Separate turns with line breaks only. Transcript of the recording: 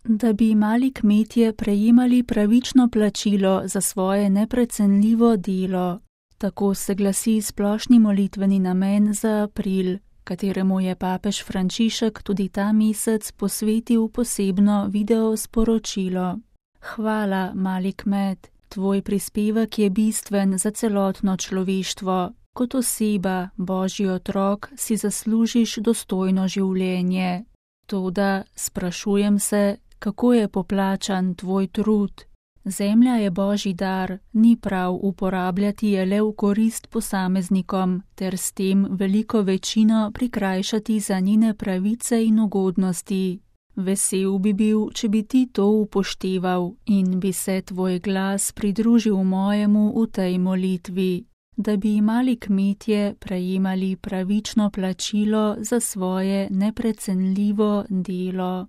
Da bi mali kmetje prejemali pravično plačilo za svoje neprecenljivo delo. Tako se glasi splošni molitveni namen za april, kateremu je papež Frančišek tudi ta mesec posvetil posebno video sporočilo. Hvala, mali kmet, tvoj prispevek je bistven za celotno človeštvo. Kot oseba, Božji otrok, si zaslužiš dostojno življenje. Toda sprašujem se, kako je poplačan tvoj trud. Zemlja je Božji dar, ni prav uporabljati je le v korist posameznikom, ter s tem veliko večino prikrajšati za njene pravice in ugodnosti. Vesel bi bil, če bi ti to upošteval in bi se tvoj glas pridružil mojemu v tej molitvi, da bi mali kmetje prejemali pravično plačilo za svoje neprecenljivo delo.